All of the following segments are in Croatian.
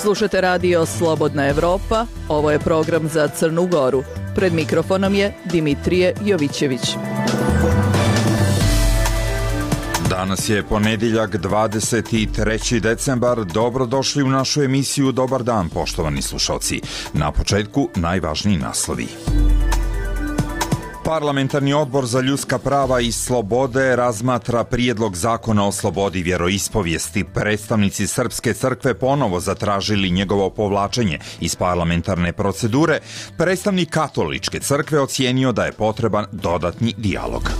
Slušate radio Slobodna Evropa, ovo je program za Crnu Goru. Pred mikrofonom je Dimitrije Jovićević. Danas je ponedjeljak 23. decembar. Dobrodošli u našu emisiju Dobar dan, poštovani slušalci. Na početku najvažniji naslovi. Parlamentarni odbor za ljudska prava i slobode razmatra prijedlog zakona o slobodi vjeroispovijesti. Predstavnici Srpske crkve ponovo zatražili njegovo povlačenje iz parlamentarne procedure. Predstavnik Katoličke crkve ocijenio da je potreban dodatni dijalog.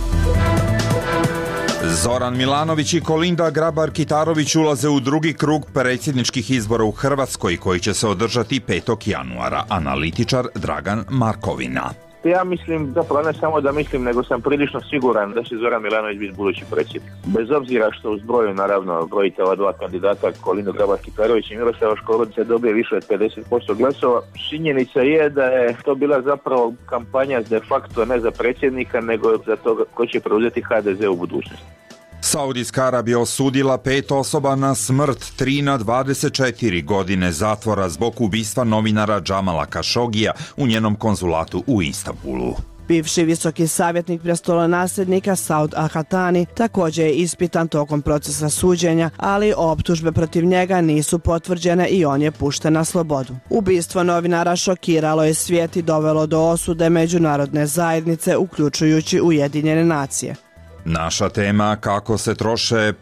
Zoran Milanović i Kolinda Grabar-Kitarović ulaze u drugi krug predsjedničkih izbora u Hrvatskoj koji će se održati 5. januara. Analitičar Dragan Markovina. Ja mislim, zapravo ne samo da mislim, nego sam prilično siguran da će Zoran Milanović biti budući predsjednik. Bez obzira što u zbroju, naravno, brojite ova dva kandidata, Kolindu Grabar-Kitarović i Miroslava Škorića, dobije više od 50% glasova. Činjenica je da je to bila zapravo kampanja de facto ne za predsjednika, nego za to ko će preuzeti HDZ u budućnosti. Saudijska Arabija osudila 5 osoba na smrt, 3 na 24 godine zatvora zbog ubistva novinara Džamala Kašogija u njenom konzulatu u Istanbulu. Bivši visoki savjetnik prestolonasljednika Saud Al-Hatani također je ispitan tokom procesa suđenja, ali optužbe protiv njega nisu potvrđene i on je pušten na slobodu. Ubistvo novinara šokiralo je svijet i dovelo do osude međunarodne zajednice, uključujući Ujedinjene nacije. Naša tema, kako se troše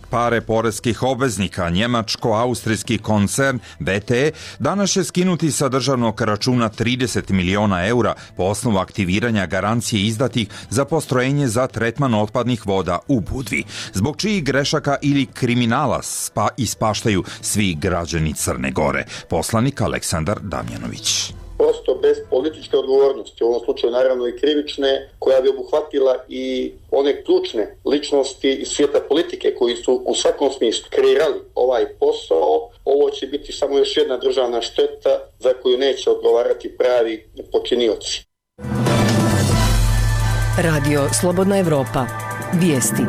pare poreskih obveznika. Njemačko-austrijski koncern BTE danas će skinuti sa državnog računa 30 miliona eura po osnovu aktiviranja garancije izdatih za postrojenje za tretman otpadnih voda u Budvi, zbog čijih grešaka ili kriminala ispaštaju svi građani Crne Gore. Poslanik Aleksandar Damjanović. Prosto bez političke odgovornosti, u ovom slučaju naravno i krivične, koja bi obuhvatila i one ključne ličnosti iz svijeta politike koji su u svakom smislu kreirali ovaj posao, ovo će biti samo još jedna državna šteta za koju neće odgovarati pravi počinioci. Radio Slobodna Evropa. Vijesti.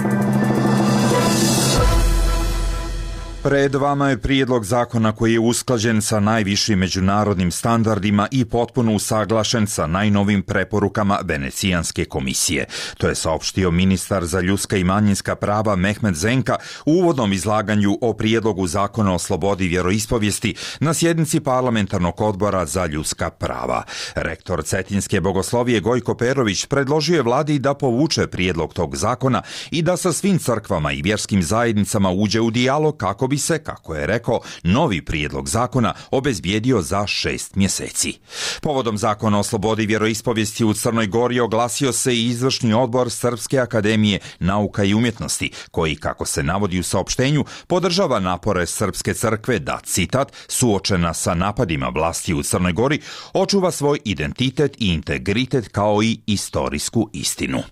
Pred vama je prijedlog zakona koji je usklađen sa najvišim međunarodnim standardima i potpuno usaglašen sa najnovim preporukama Venecijanske komisije. To je saopštio ministar za ljudska i manjinska prava Mehmet Zenka u uvodnom izlaganju o prijedlogu zakona o slobodi vjeroispovijesti na sjednici parlamentarnog odbora za ljudska prava. Rektor Cetinske bogoslovije Gojko Perović predložio je vladi da povuče prijedlog tog zakona i da sa svim crkvama i vjerskim zajednicama uđe u dijalog kako bi se, kako je rekao, novi prijedlog zakona obezbijedio za 6 mjeseci. Povodom zakona o slobodi vjeroispovijesti u Crnoj Gori oglasio se i izvršni odbor Srpske akademije nauka i umjetnosti, koji, kako se navodi u saopštenju, podržava napore Srpske crkve da, citat, suočena sa napadima vlasti u Crnoj Gori, očuva svoj identitet i integritet kao i istorijsku istinu.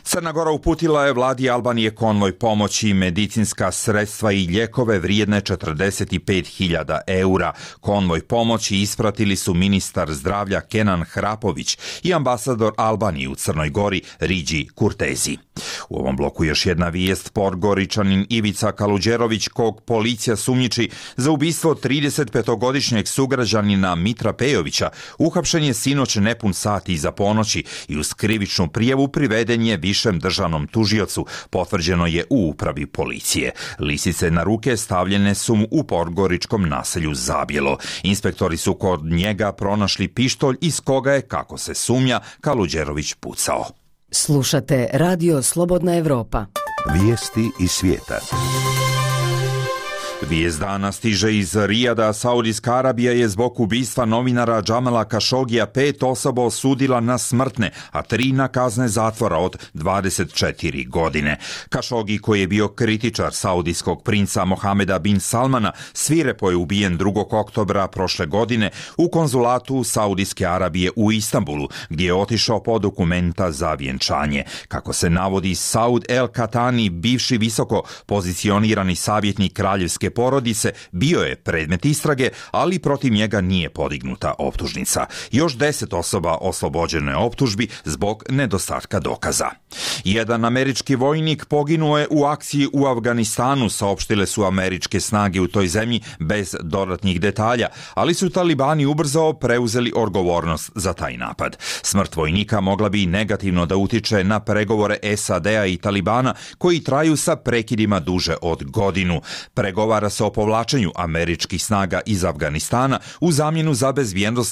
Crna Gora uputila je vladi Albanije konvoj pomoći, medicinska sredstva i lijekove vrijedne 45.000 eura. Konvoj pomoći ispratili su ministar zdravlja Kenan Hrapović i ambasador Albanije u Crnoj Gori Riđi Kurtezi. U ovom bloku još jedna vijest. Podgoričanin Ivica Kaluđerović, kog policija sumnjiči za ubistvo 35-godišnjeg sugrađanina Mitra Pejovića, uhapšen je sinoć nepun sat iza ponoći i uz krivičnu prijavu priveden je višem državnom tužiocu, potvrđeno je u upravi policije. Lisice na ruke stavljene su mu u podgoričkom naselju Zabjelo. Inspektori su kod njega pronašli pištolj iz koga je, kako se sumnja, Kaluđerović pucao. Slušate Radio Slobodna Evropa. Vijesti iz svijeta. Vijest dana stiže iz Rijada. Saudijska Arabija je zbog ubistva novinara Džamala Kašogija 5 osoba osudila na smrtne, a 3 na kazne zatvora od 24 godine. Kašogi, koji je bio kritičar saudijskog princa Mohameda bin Salmana, svirepo je ubijen 2. oktobra prošle godine u konzulatu Saudijske Arabije u Istanbulu, gdje je otišao po dokumenta za vjenčanje. Kako se navodi, Saud El Katani, bivši visoko pozicionirani savjetnik kraljevske izraelske porodice bio je predmet istrage, ali protiv njega nije podignuta optužnica. Još 10 osoba oslobođeno je optužbi zbog nedostatka dokaza. Jedan američki vojnik poginuo je u akciji u Afganistanu, saopštile su američke snage u toj zemlji bez dodatnih detalja, ali su talibani ubrzao preuzeli odgovornost za taj napad. Smrt vojnika mogla bi negativno da utiče na pregovore SAD-a i Talibana koji traju sa prekidima duže od godinu. Pregovara se o povlačenju američkih snaga iz Afganistana u zamjenu za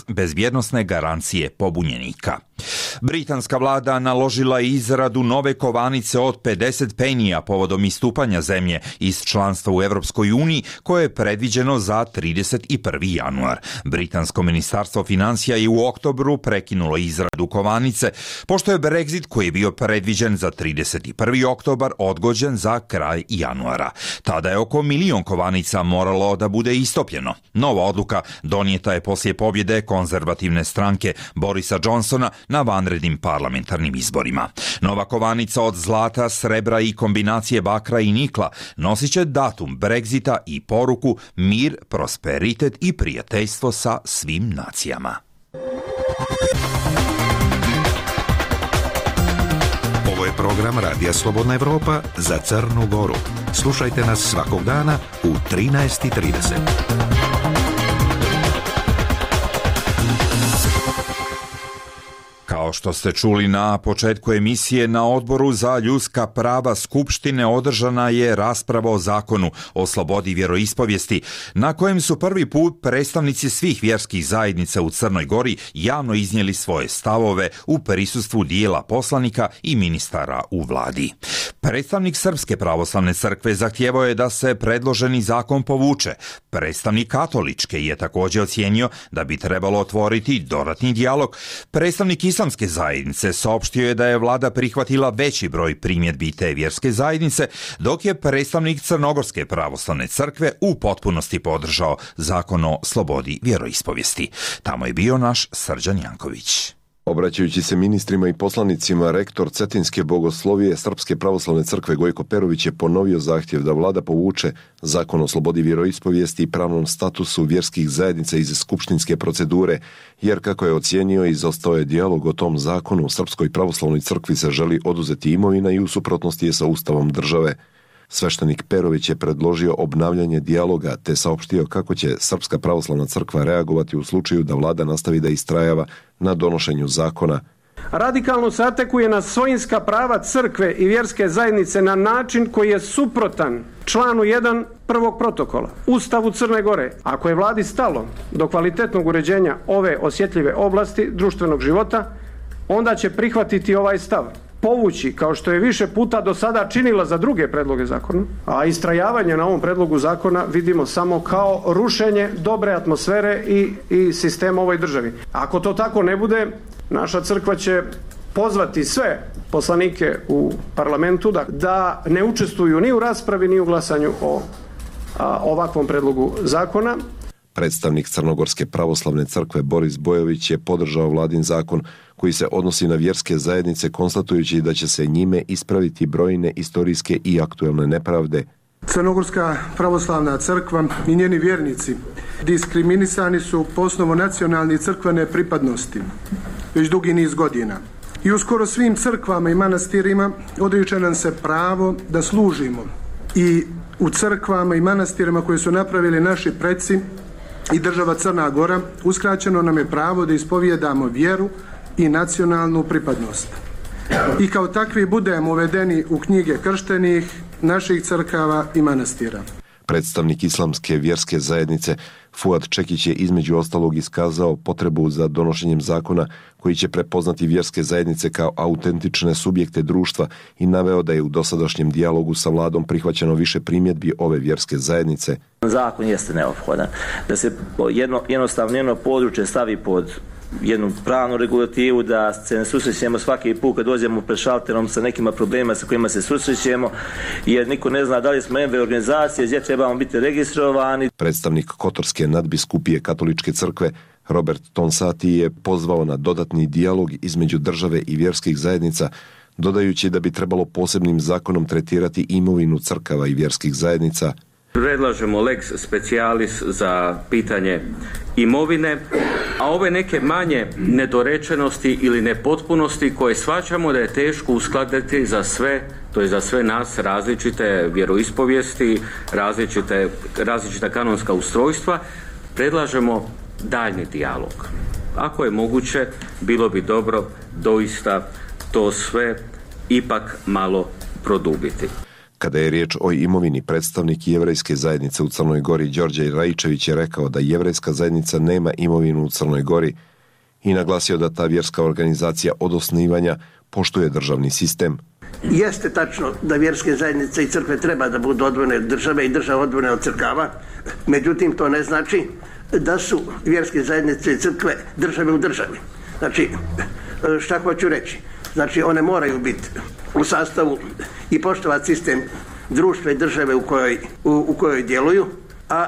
bezbjednosne garancije pobunjenika. Britanska vlada naložila je izradu nove kovanice od 50 penija povodom istupanja zemlje iz članstva u Europskoj uniji koje je predviđeno za 31. januar. Britansko ministarstvo financija je u oktobru prekinulo izradu kovanice, pošto je Brexit koji je bio predviđen za 31. oktobar odgođen za kraj januara. Tada je oko 1 milion kovanica moralo da bude istopljeno. Nova odluka donijeta je poslije pobjede konzervativne stranke Borisa Johnsona na vanrednim parlamentarnim izborima. Nova kovanica od zlata, srebra i kombinacije bakra i nikla nosit će datum Brexita i poruku mir, prosperitet i prijateljstvo sa svim nacijama. Ovo je program Radija Slobodna Evropa za Crnu Goru. Slušajte nas svakog dana u 13:30. Kao što ste čuli na početku emisije, na Odboru za ljudska prava Skupštine održana je rasprava o zakonu o slobodi vjeroispovijesti, na kojem su prvi put predstavnici svih vjerskih zajednica u Crnoj Gori javno iznijeli svoje stavove u prisustvu dijela poslanika i ministara u vladi. Predstavnik Srpske pravoslavne crkve zahtijevao je da se predloženi zakon povuče. Predstavnik Katoličke je također ocijenio da bi trebalo otvoriti dodatni dijalog. Predstavnik Islamske zajednice saopštio je da je vlada prihvatila veći broj primjedbi te vjerske zajednice, dok je predstavnik Crnogorske pravoslavne crkve u potpunosti podržao zakon o slobodi vjeroispovijesti. Tamo je bio naš Srđan Janković. Obraćajući se ministrima i poslanicima, rektor Cetinske bogoslovije Srpske pravoslavne crkve Gojko Perović je ponovio zahtjev da vlada povuče zakon o slobodi vjeroispovijesti i pravnom statusu vjerskih zajednica iz skupštinske procedure, jer kako je ocijenio, izostao je dijalog o tom zakonu. U Srpskoj pravoslavnoj crkvi se želi oduzeti imovina i u suprotnosti je sa ustavom države. Sveštenik Perović je predložio obnavljanje dijaloga te saopštio kako će Srpska pravoslavna crkva reagovati u slučaju da vlada nastavi da istrajava na donošenju zakona. Radikalno se atakuje na svojinska prava crkve i vjerske zajednice na način koji je suprotan članu 1 prvog protokola Ustavu Crne Gore. Ako je vladi stalo do kvalitetnog uređenja ove osjetljive oblasti društvenog života, onda će prihvatiti ovaj stav, povući, kao što je više puta do sada činila za druge predloge zakona, a istrajavanje na ovom predlogu zakona vidimo samo kao rušenje dobre atmosfere i sistema ovoj državi. Ako to tako ne bude, naša crkva će pozvati sve poslanike u parlamentu da ne učestvuju ni u raspravi ni u glasanju o ovakvom predlogu zakona. Predstavnik Crnogorske pravoslavne crkve Boris Bojović je podržao vladin zakon koji se odnosi na vjerske zajednice, konstatujući da će se njime ispraviti brojne istorijske i aktuelne nepravde. Crnogorska pravoslavna crkva i njeni vjernici diskriminisani su po osnovu nacionalne i crkvene pripadnosti već dugi niz godina. I u skoro svim crkvama i manastirima odriče nam se pravo da služimo. I u crkvama i manastirima koje su napravili naši preci i država Crna Gora uskraćeno nam je pravo da ispovijedamo vjeru i nacionalnu pripadnost. I kao takvi budemo uvedeni u knjige krštenih naših crkava i manastira. Predstavnik Islamske vjerske zajednice Fuad Čekić je između ostalog iskazao potrebu za donošenjem zakona koji će prepoznati vjerske zajednice kao autentične subjekte društva i naveo da je u dosadašnjem dijalogu sa vladom prihvaćeno više primjedbi ove vjerske zajednice. Zakon jeste neophodan da se jednostavno jedno područje stavi pod jednu pravnu regulativu, da se ne susrećemo svaki put kad dođemo pred šalterom sa nekima problemima sa kojima se susrećemo, jer niko ne zna da li smo MV organizacije, gdje trebamo biti registrovani. Predstavnik Kotorske nadbiskupije katoličke crkve Robert Tonsati je pozvao na dodatni dijalog između države i vjerskih zajednica, dodajući da bi trebalo posebnim zakonom tretirati imovinu crkava i vjerskih zajednica. Predlažemo lex specialis za pitanje imovine, a ove neke manje nedorečenosti ili nepotpunosti koje shvaćamo da je teško uskladiti za sve, to je za sve nas različite vjeroispovijesti, različita kanonska ustrojstva, predlažemo daljnji dijalog. Ako je moguće, bilo bi dobro doista to sve ipak malo produbiti. Kada je riječ o imovini, predstavnik jevrejske zajednice u Crnoj Gori Đorđe Rajičević je rekao da jevrejska zajednica nema imovinu u Crnoj Gori i naglasio da ta vjerska organizacija od osnivanja poštuje državni sistem. Jeste tačno da vjerske zajednice i crkve treba da budu odvojene od države i država odvojene od crkava, međutim to ne znači da su vjerske zajednice i crkve države u državi. Znači, šta hoću reći? Znači, one moraju biti u sastavu i poštovati sistem društva i države u kojoj djeluju, a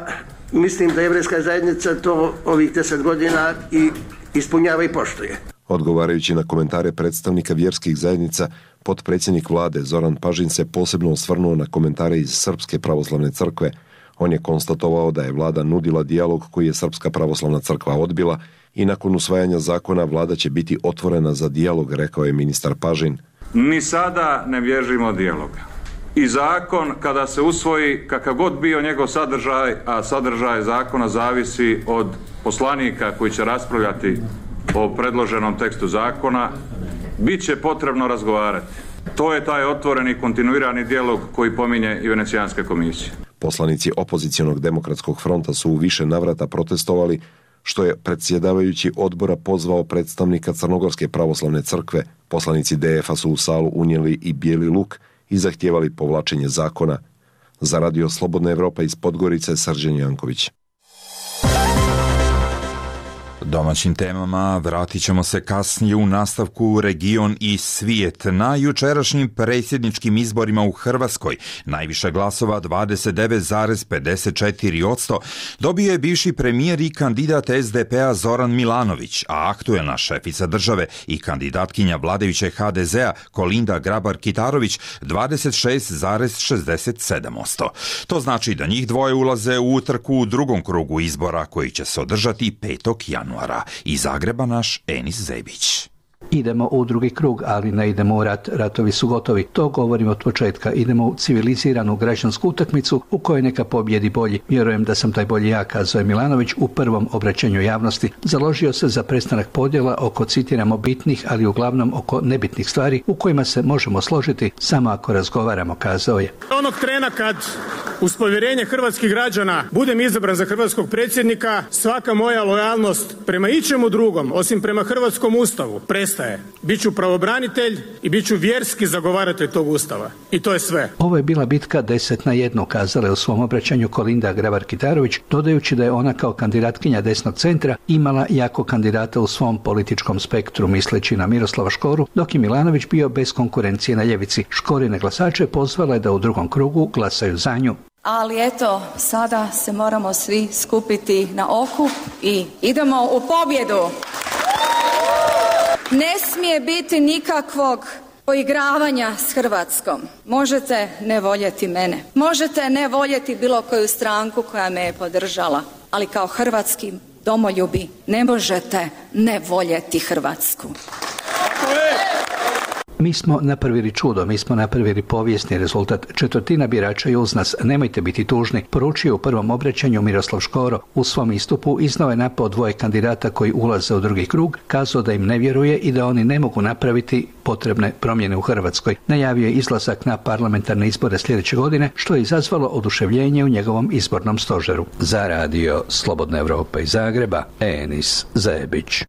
mislim da jevrejska zajednica to ovih 10 godina i ispunjava i poštuje. Odgovarajući na komentare predstavnika vjerskih zajednica, potpredsjednik vlade Zoran Pažin se posebno osvrnuo na komentare iz Srpske pravoslavne crkve. On je konstatovao da je vlada nudila dijalog koji je Srpska pravoslavna crkva odbila i nakon usvajanja zakona vlada će biti otvorena za dijalog, rekao je ministar Pažin. Ni sada ne bježimo od dijaloga. I zakon kada se usvoji, kakav god bio njegov sadržaj, a sadržaj zakona zavisi od poslanika koji će raspravljati o predloženom tekstu zakona, bit će potrebno razgovarati. To je taj otvoreni kontinuirani dijalog koji pominje i Venecijanska komisija. Poslanici opozicionog demokratskog fronta su u više navrata protestovali, što je predsjedavajući odbora pozvao predstavnika Crnogorske pravoslavne crkve. Poslanici DF-a su u salu unijeli i bijeli luk i zahtijevali povlačenje zakona. Za Radio Slobodna Evropa iz Podgorice, Srđan Janković. Domaćim temama vratit ćemo se kasnije u nastavku region i svijet. Na jučerašnjim predsjedničkim izborima u Hrvatskoj najviše glasova 29,54% dobio je bivši premijer i kandidat SDP-a Zoran Milanović, a aktuelna šefica države i kandidatkinja vladajuće HDZ-a Kolinda Grabar-Kitarović 26,67%. To znači da njih dvoje ulaze u utrku u drugom krugu izbora koji će se održati 5. januara. Iz Zagreba naš Enis Zebić. Idemo u drugi krug, ali ne idemo u rat. Ratovi su gotovi. To govorim od početka. Idemo u civiliziranu građansku utakmicu u kojoj neka pobjedi bolji. Vjerujem da sam taj bolji ja, kazao je Milanović u prvom obraćanju javnosti. Založio se za prestanak podjela oko, citiramo, bitnih, ali uglavnom oko nebitnih stvari u kojima se možemo složiti samo ako razgovaramo, kazao je. Onog trena kad uz povjerenje hrvatskih građana budem izabran za hrvatskog predsjednika, svaka moja lojalnost prema ičemu drugom, osim prema hrvatskom ustavu, prestaje. Biću pravobranitelj i biću vjerski zagovaratelj tog ustava. I to je sve. Ovo je bila bitka 10-1, kazala je u svom obraćanju Kolinda Grabar-Kitarović, dodajući da je ona kao kandidatkinja desnog centra imala jako kandidata u svom političkom spektru, misleći na Miroslava Škoru, dok je Milanović bio bez konkurencije na ljevici. Škorine glasače pozvala je da u drugom krugu glasaju za nju. Ali eto, sada se moramo svi skupiti na okup i idemo u pobjedu. Ne smije biti nikakvog poigravanja s Hrvatskom. Možete ne voljeti mene. Možete ne voljeti bilo koju stranku koja me je podržala. Ali kao hrvatski domoljubi ne možete ne voljeti Hrvatsku. Mi smo napravili čudo, mi smo napravili povijesni rezultat. 1/4 birača je uz nas, nemojte biti tužni, poručio u prvom obraćanju Miroslav Škoro. U svom istupu iznao je napao dvoje kandidata koji ulaze u drugi krug, kazao da im ne vjeruje i da oni ne mogu napraviti potrebne promjene u Hrvatskoj. Najavio je izlazak na parlamentarne izbore sljedeće godine, što je izazvalo oduševljenje u njegovom izbornom stožeru. Za Radio Slobodna Evropa iz Zagreba, Enis Zebić.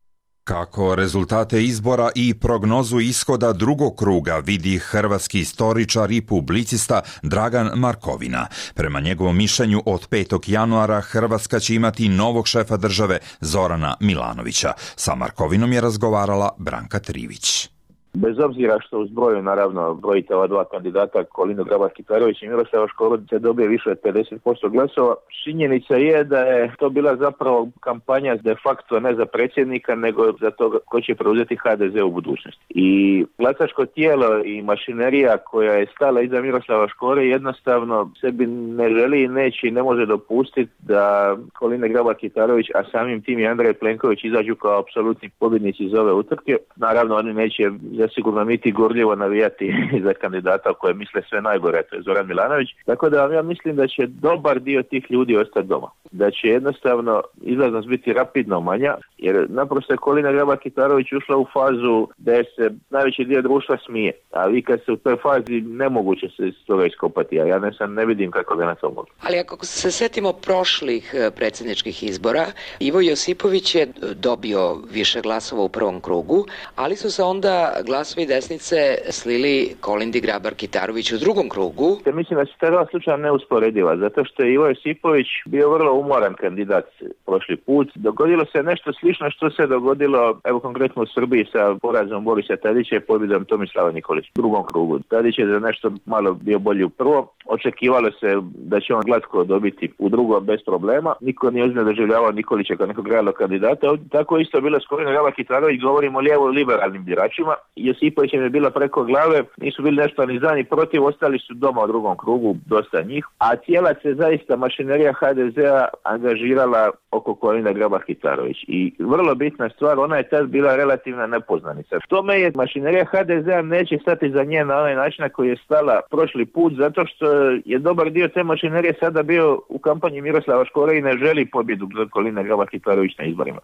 Kako rezultate izbora i prognozu ishoda drugog kruga vidi hrvatski istoričar i publicista Dragan Markovina. Prema njegovom mišljenju od 5. januara Hrvatska će imati novog šefa države Zorana Milanovića. Sa Markovinom je razgovarala Branka Trivić. Bez obzira što u zbroju naravno brojite ova dva kandidata Kolinda Grabar-Kitarović i Miroslava Škoro dobije više od 50% glasova. Činjenica je da je to bila zapravo kampanja de facto ne za predsjednika nego za to ko će preuzeti HDZ u budućnosti. I glasačko tijelo i mašinerija koja je stala iza Miroslava Škore jednostavno sebi ne želi i neće i ne može dopustiti da Kolinda Grabar-Kitarović, a samim tim i Andrej Plenković izađu kao apsolutni pobjednici iz ove utrke. Naravno oni neće zasigurno niti gorljivo navijati za kandidata koje misle sve najgore, to je Zoran Milanović. Tako da ja mislim da će dobar dio tih ljudi ostati doma. Da će jednostavno izlaznost biti rapidno manja, jer naprosto je Kolinda Grabar-Kitarović ušla u fazu da se najveći dio društva smije. A vi kad se u toj fazi nemoguće se iz toga iskopati, a ja ne vidim kako ga na to mogu. Ali ako se setimo prošlih predsjedničkih izbora, Ivo Josipović je dobio više glasova u prvom krugu, ali su se onda glasovi desnice slili Kolindi Grabar-Kitarović u drugom krugu. Mislim da se ta dva slučaja neusporediva, zato što je Ivo Josipović bio vrlo umoran kandidat prošli put. Dogodilo se nešto slično što se dogodilo, evo konkretno u Srbiji sa porazom Borisa Tadića i pobjedom Tomislava Nikolića u drugom krugu. Tadić je za nešto malo bio bolji u prvom. Očekivalo se da će on glatko dobiti u drugom bez problema. Niko nije ozbiljno doživljavao Nikolića kao nekog realnog kandidata. Tako isto je bilo s Kolindom Grabar-Kitarović, govorimo o lijevo-liberalnim biračima. Josipović im je bila preko glave, nisu bili nešto ni za ni protiv, ostali su doma u drugom krugu, dosta njih. A cijela se zaista mašinerija HDZ-a angažirala oko Kolinde Grabar-Kitarović. I vrlo bitna stvar, ona je tad bila relativna nepoznanica. Tome je mašinerija HDZ-a neće stati za nje na onaj način na koji je stala prošli put, zato što je dobar dio te mašinerije sada bio u kampanji Miroslava Škore i ne želi pobjedu Kolinde Grabar-Kitarović na izborima.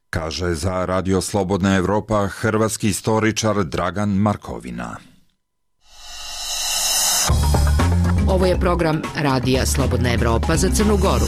Kaže za Radio Slobodna Evropa hrvatski istoričar Dragan Markovina. Ovo je program Radija Slobodna Evropa za Crnu Goru.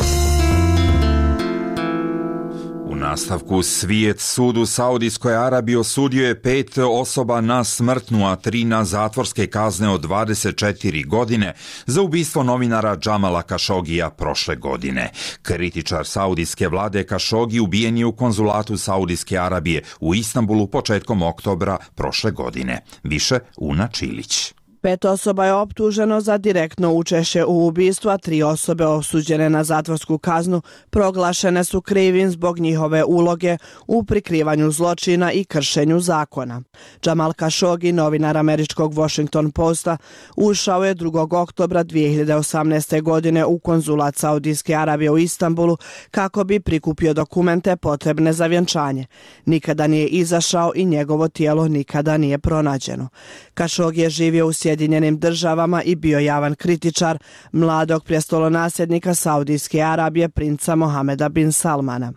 U nastavku svijet sud u Saudijskoj Arabiji osudio je 5 osoba na smrtnu, a 3 na zatvorske kazne od 24 godine za ubistvo novinara Džamala Kašogija prošle godine. Kritičar saudijske vlade Kašogi ubijen je u konzulatu Saudijske Arabije u Istanbulu početkom oktobra prošle godine. Više Una Čilić. 5 osoba je optuženo za direktno učešće u ubistvu, a 3 osobe osuđene na zatvorsku kaznu proglašene su krivim zbog njihove uloge u prikrivanju zločina i kršenju zakona. Džamal Kašogi, novinar američkog Washington Posta, ušao je 2. oktobra 2018. godine u konzulat Saudijske Arabije u Istanbulu kako bi prikupio dokumente potrebne za vjenčanje. Nikada nije izašao i njegovo tijelo nikada nije pronađeno. Kašogi je živio u Sjedinjenim Državama i bio javan kritičar mladog prestolonasljednika Saudijske Arabije princa Mohameda bin Salmana.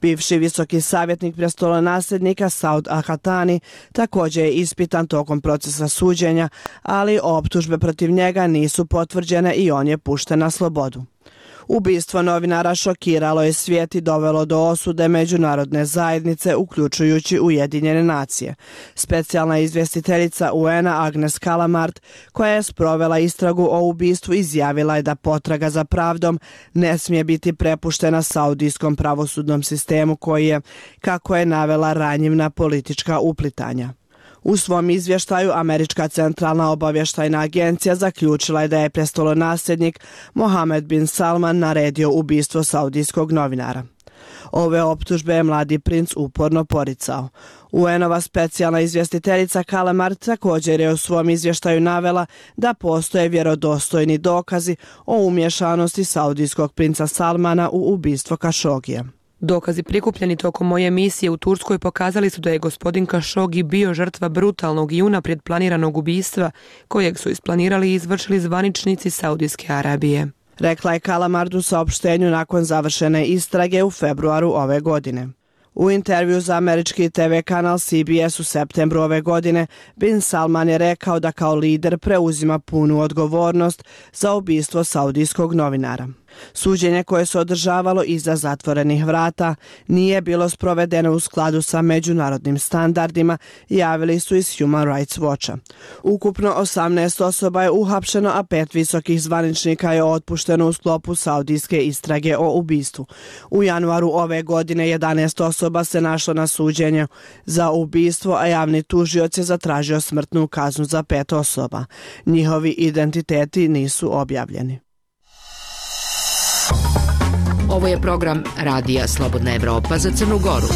Bivši visoki savjetnik prestolonasljednika Saud Al-Hatani također je ispitan tokom procesa suđenja, ali optužbe protiv njega nisu potvrđene i on je pušten na slobodu. Ubistvo novinara šokiralo je svijet i dovelo do osude međunarodne zajednice, uključujući Ujedinjene nacije. Specijalna izvjestiteljica UN-a Agnes Kalamard, koja je sprovela istragu o ubistvu, izjavila je da potraga za pravdom ne smije biti prepuštena saudijskom pravosudnom sistemu koji je, kako je navela, ranjiv na politička uplitanja. U svom izvještaju Američka centralna obavještajna agencija zaključila je da je prestolonasljednik Mohamed bin Salman naredio ubistvo saudijskog novinara. Ove optužbe je mladi princ uporno poricao. UN-ova specijalna izvjestiteljica Kalamard također je u svom izvještaju navela da postoje vjerodostojni dokazi o umješanosti saudijskog princa Salmana u ubistvo Kašogija. Dokazi prikupljeni tokom moje misije u Turskoj pokazali su da je gospodin Kašogi bio žrtva brutalnog i unaprijed planiranog ubistva kojeg su isplanirali i izvršili zvaničnici Saudijske Arabije. Rekla je Kalamard u saopštenju nakon završene istrage u februaru ove godine. U intervju za američki TV kanal CBS u septembru ove godine, bin Salman je rekao da kao lider preuzima punu odgovornost za ubistvo saudijskog novinara. Suđenje koje se održavalo iza zatvorenih vrata nije bilo sprovedeno u skladu sa međunarodnim standardima, javili su iz Human Rights Watcha. Ukupno 18 osoba je uhapšeno, a 5 visokih zvaničnika je otpušteno u sklopu saudijske istrage o ubistvu. U januaru ove godine 11 osoba se našlo na suđenju za ubistvo, a javni tužioc je zatražio smrtnu kaznu za 5 osoba. Njihovi identiteti nisu objavljeni. Ovo je program Radija Slobodna Evropa za Crnu Goru.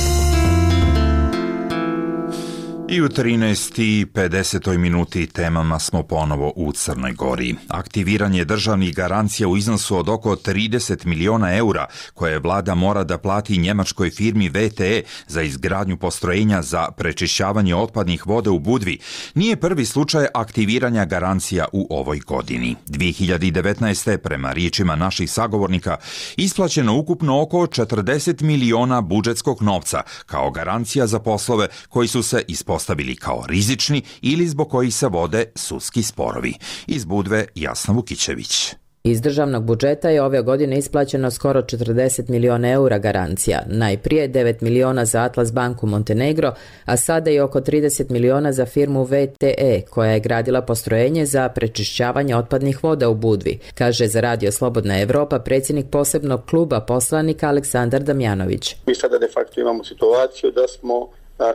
I u 13:50 minuti temama smo ponovo u Crnoj Gori. Aktiviranje državnih garancija u iznosu od oko 30 miliona eura koje vlada mora da plati njemačkoj firmi VTE za izgradnju postrojenja za prečišćavanje otpadnih voda u Budvi nije prvi slučaj aktiviranja garancija u ovoj godini. 2019. prema riječima naših sagovornika isplaćeno ukupno oko 40 miliona budžetskog novca kao garancija za poslove koji su se ispostavili kao rizični ili zbog kojih se vode sudski sporovi. Iz Budve Jasna Vukićević. Iz državnog budžeta je ove godine isplaćeno skoro 40 miliona eura garancija. Najprije 9 miliona za Atlas banku Montenegro, a sada i oko 30 miliona za firmu VTE, koja je gradila postrojenje za prečišćavanje otpadnih voda u Budvi, kaže za Radio Slobodna Evropa predsjednik posebnog kluba poslanika Aleksandar Damjanović. Mi sada de facto imamo situaciju da smo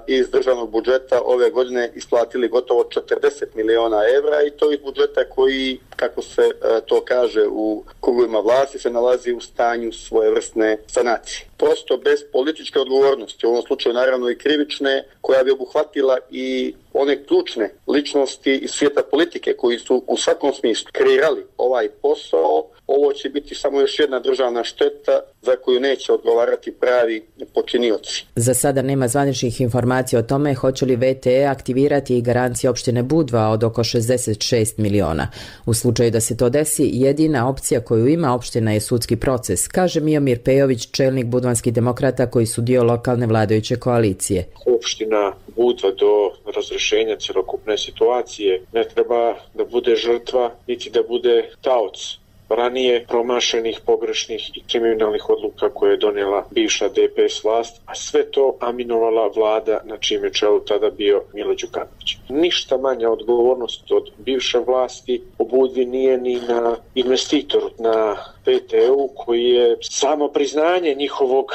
iz državnog budžeta ove godine isplatili gotovo 40 miliona evra i to iz budžeta koji, kako se to kaže u krugovima vlasti, se nalazi u stanju svojevrsne sanacije. Prosto bez političke odgovornosti, u ovom slučaju naravno i krivične, koja bi obuhvatila i one ključne ličnosti iz svijeta politike koji su u svakom smislu kreirali ovaj posao, ovo će biti samo još jedna državna šteta za koju neće odgovarati pravi počinioci. Za sada nema zvaničnih informacija o tome hoće li VTE aktivirati i garancije opštine Budva od oko 66 miliona. U slučaju da se to desi, jedina opcija koju ima opština je sudski proces, kaže Miomir Pejović, čelnik budvanskih demokrata koji su dio lokalne vladajuće koalicije. Opština Budva do razrešenja celokupne situacije ne treba da bude žrtva, niti da bude taoc ranije promašenih, pogrešnih i kriminalnih odluka koje je donijela bivša DPS vlast, a sve to aminovala vlada na čijem je čelu tada bio Milo Đukanović. Ništa manja odgovornost od bivše vlasti u Budvi nije ni na investitoru, na VTE-u, koji je samo priznanje njihovog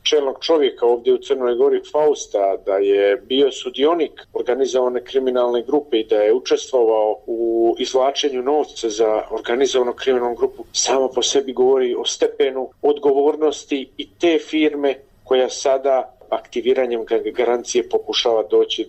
čelnog čovjeka ovdje u Crnoj Gori, Fausta, da je bio sudionik organizovane kriminalne grupe i da je učestvovao u izvlačenju novca za organizovanu kriminalnu grupu, samo po sebi govori o stepenu odgovornosti i te firme koja sada aktiviranjem garancije pokušava doći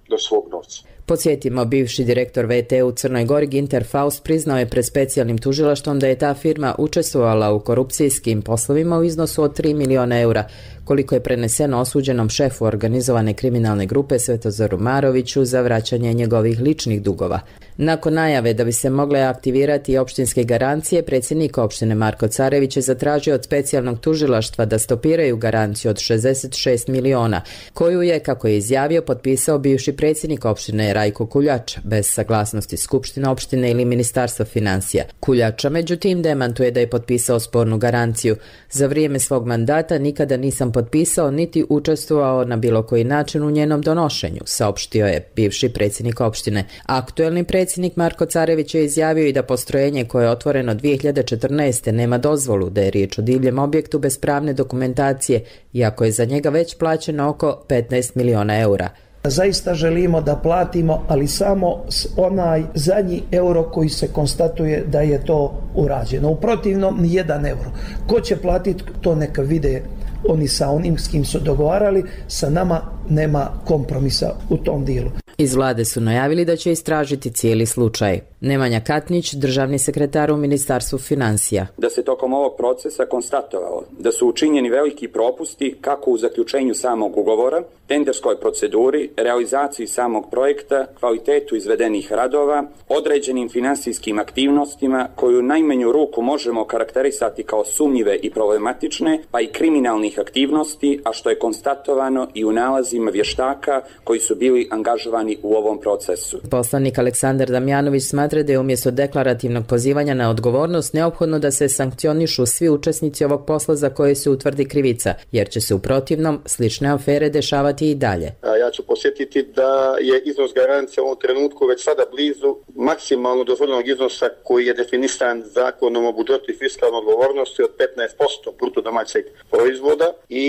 do svog novca. Podsjetimo, bivši direktor VTE u Crnoj Gori Ginter Faust priznao je pred specijalnim tužilaštvom da je ta firma učestvovala u korupcijskim poslovima u iznosu od 3 miliona eura, koliko je preneseno osuđenom šefu organizovane kriminalne grupe Svetozaru Maroviću za vraćanje njegovih ličnih dugova. Nakon najave da bi se mogle aktivirati opštinske garancije, predsjednik opštine Marko Carević je zatražio od specijalnog tužilaštva da stopiraju garanciju od 66 miliona, koju je, kako je izjavio, potpisao bivši predsjednik opštine Rajko Kuljač, bez saglasnosti Skupštine opštine ili Ministarstva financija. Kuljača, međutim, demantuje da je potpisao spornu garanciju. Za vrijeme svog mandata nikada nisam potpisao niti učestvovao na bilo koji način u njenom donošenju, saopštio je bivši predsjednik opštine. Aktuelni predsjednik Marko Carević je izjavio i da postrojenje koje je otvoreno 2014. nema dozvolu, da je riječ o divljem objektu bez pravne dokumentacije, iako je za njega već plaćeno oko 15 miliona eura. Zaista želimo da platimo, ali samo onaj zadnji euro koji se konstatuje da je to urađeno. U protivnom, ni 1 euro. Ko će platiti, to neka vide oni sa onim s kim su dogovarali, sa nama nema kompromisa u tom dijelu. Iz vlade su najavili da će istražiti cijeli slučaj. Nemanja Katnić, državni sekretar u Ministarstvu financija. Da se tokom ovog procesa konstatovalo da su učinjeni veliki propusti kako u zaključenju samog ugovora, tenderskoj proceduri, realizaciji samog projekta, kvalitetu izvedenih radova, određenim finansijskim aktivnostima koju najmanju ruku možemo karakterisati kao sumnjive i problematične, pa i kriminalnih aktivnosti, a što je konstatovano i u nalazima tim vještaka koji su bili angažovani u ovom procesu. Poslanik Aleksandar Damjanović smatra da je umjesto deklarativnog pozivanja na odgovornost neophodno da se sankcionišu svi učesnici ovog posla za koje se utvrdi krivica, jer će se u protivnom slične afere dešavati i dalje. Ja ću posjetiti da je iznos garancija u ovom trenutku već sada blizu maksimalno dozvoljenog iznosa koji je definisan zakonom o budžetu i fiskalnoj odgovornosti od 15% bruto domaćeg proizvoda i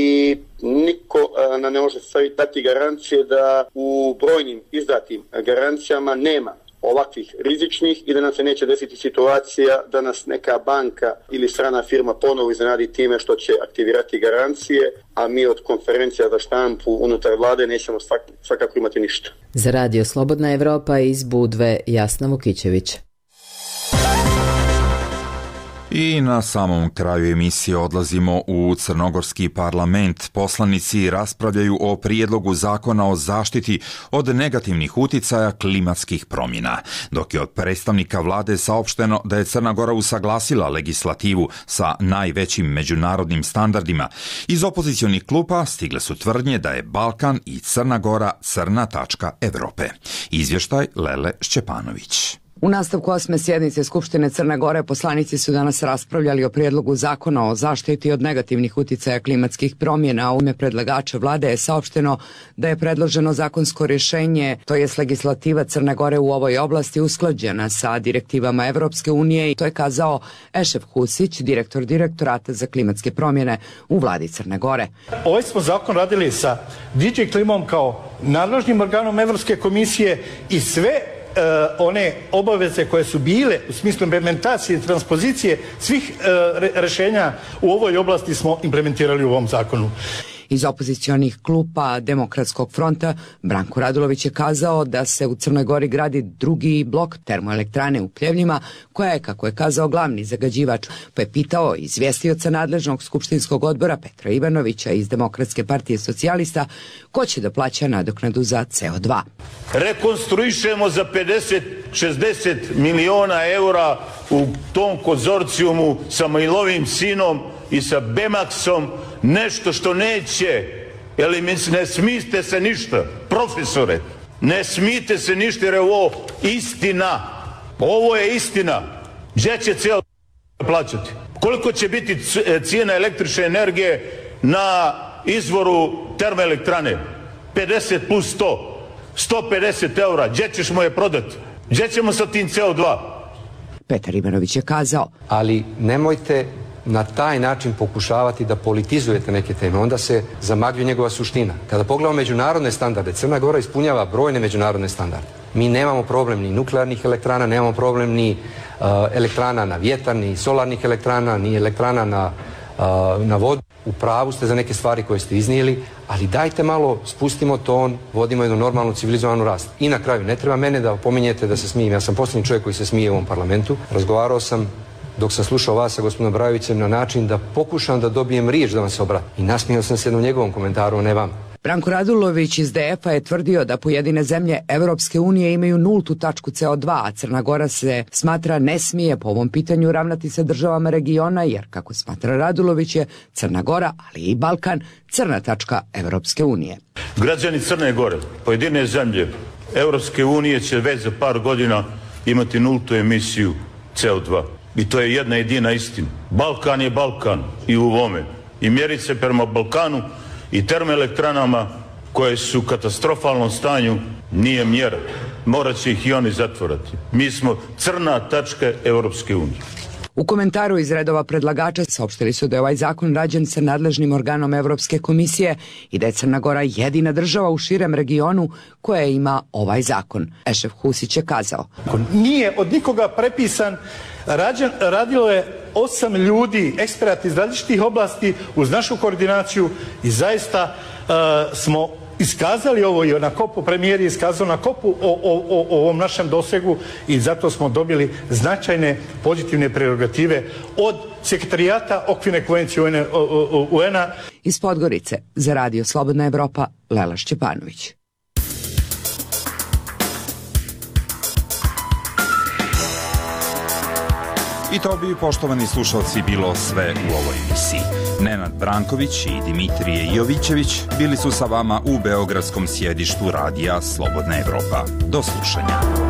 niko nam ne može dati garancije da u brojnim izdatim garancijama nema ovakvih rizičnih i da nam se neće desiti situacija da nas neka banka ili strana firma ponovo iznenadi time što će aktivirati garancije, a mi od konferencija za štampu unutar vlade nećemo svakako imati ništa. Za Radio Slobodna Evropa iz Budve, Jasna Vukićević. I na samom kraju emisije odlazimo u Crnogorski parlament. Poslanici raspravljaju o prijedlogu zakona o zaštiti od negativnih uticaja klimatskih promjena, dok je od predstavnika vlade saopšteno da je Crna Gora usaglasila legislativu sa najvećim međunarodnim standardima. Iz opozicionih klupa stigle su tvrdnje da je Balkan i Crna Gora crna tačka Evrope. Izvještaj Lele Šćepanović. U nastavku 8. sjednice Skupštine Crne Gore poslanici su danas raspravljali o prijedlogu zakona o zaštiti od negativnih uticaja klimatskih promjena. U ime predlagača vlade je saopšteno da je predloženo zakonsko rješenje, to jest legislativa Crne Gore u ovoj oblasti, usklađena sa direktivama Evropske unije, i to je kazao Ešef Husić, direktor Direktorata za klimatske promjene u vladi Crne Gore. Ovaj smo zakon radili sa DG Klimom kao nadležnim organom Evropske komisije i sve one obaveze koje su bile u smislu implementacije i transpozicije svih rješenja u ovoj oblasti smo implementirali u ovom zakonu. Iz opozicionih klupa Demokratskog fronta Branko Radulović je kazao da se u Crnoj Gori gradi drugi blok termoelektrane u Pljevljima, koja je, kako je kazao, glavni zagađivač, pa je pitao izvjestioca nadležnog skupštinskog odbora Petra Ivanovića iz Demokratske partije socijalista ko će da plaća nadoknadu za CO2. Rekonstruišemo za 50-60 miliona eura u tom konzorcijumu sa Mailovim sinom i sa Bemaxom nešto što neće, ne smijete se ništa, profesore, ne smijete se ništa jer je ovo istina. Ovo je istina. Gdje će cijelo plaćati? Koliko će biti cijena električne energije na izvoru termoelektrane? 50 plus 100. 150 eura. Gdje ćemo je prodati? Gdje ćemo sa tim CO2? Petar Ivanović je kazao. Ali nemojte na taj način pokušavati da politizujete neke teme, onda se zamagljuje njegova suština. Kada pogledamo međunarodne standarde, Crna Gora ispunjava brojne međunarodne standarde. Mi nemamo problem ni nuklearnih elektrana, nemamo problem ni elektrana na vjetar, ni solarnih elektrana, ni elektrana na vodu. U pravu ste za neke stvari koje ste iznijeli, ali dajte malo, spustimo ton, vodimo jednu normalnu civilizovanu rast. I na kraju, ne treba mene da opominjete da se smijem. Ja sam posljednji čovjek koji se smije u ovom parlamentu. Razgovarao sam dok sam slušao vas sa gospodinom Brajovićem na način da pokušam da dobijem riječ da vam se obratim. I nasmijao sam se jednom njegovom komentaru, a ne vam. Branko Radulović iz DF-a je tvrdio da pojedine zemlje Evropske unije imaju nultu tačku CO2, a Crna Gora se smatra ne smije po ovom pitanju ravnati sa državama regiona, jer, kako smatra Radulović, je Crna Gora, ali i Balkan, crna tačka Evropske unije. Građani Crne Gore, pojedine zemlje Evropske unije će već za par godina imati nultu emisiju CO2. I to je jedna jedina istina. Balkan je Balkan i u ovome. I mjeriti se prema Balkanu i termoelektranama koje su u katastrofalnom stanju nije mjera. Morat će ih i oni zatvorati. Mi smo crna tačka Europske unije. U komentaru iz redova predlagača saopštili su da je ovaj zakon rađen sa nadležnim organom Evropske komisije i da je Crna Gora jedina država u širem regionu koja ima ovaj zakon. Ešef Husić je kazao. Nije od nikoga prepisan, radilo je 8 ljudi, eksperata iz različitih oblasti uz našu koordinaciju i zaista smo iskazali ovo i na kopu, premijer je iskazao na kopu o ovom našem dosegu i zato smo dobili značajne pozitivne prerogative od sekretarijata Okvirne konvencije UN-a. Iz Podgorice za Radio Slobodna Evropa, Lela Šćepanović. I to bi, poštovani slušalci, bilo sve u ovoj emisiji. Nenad Branković i Dimitrije Jovićević bili su sa vama u beogradskom sjedištu radija Slobodna Evropa. Do slušanja.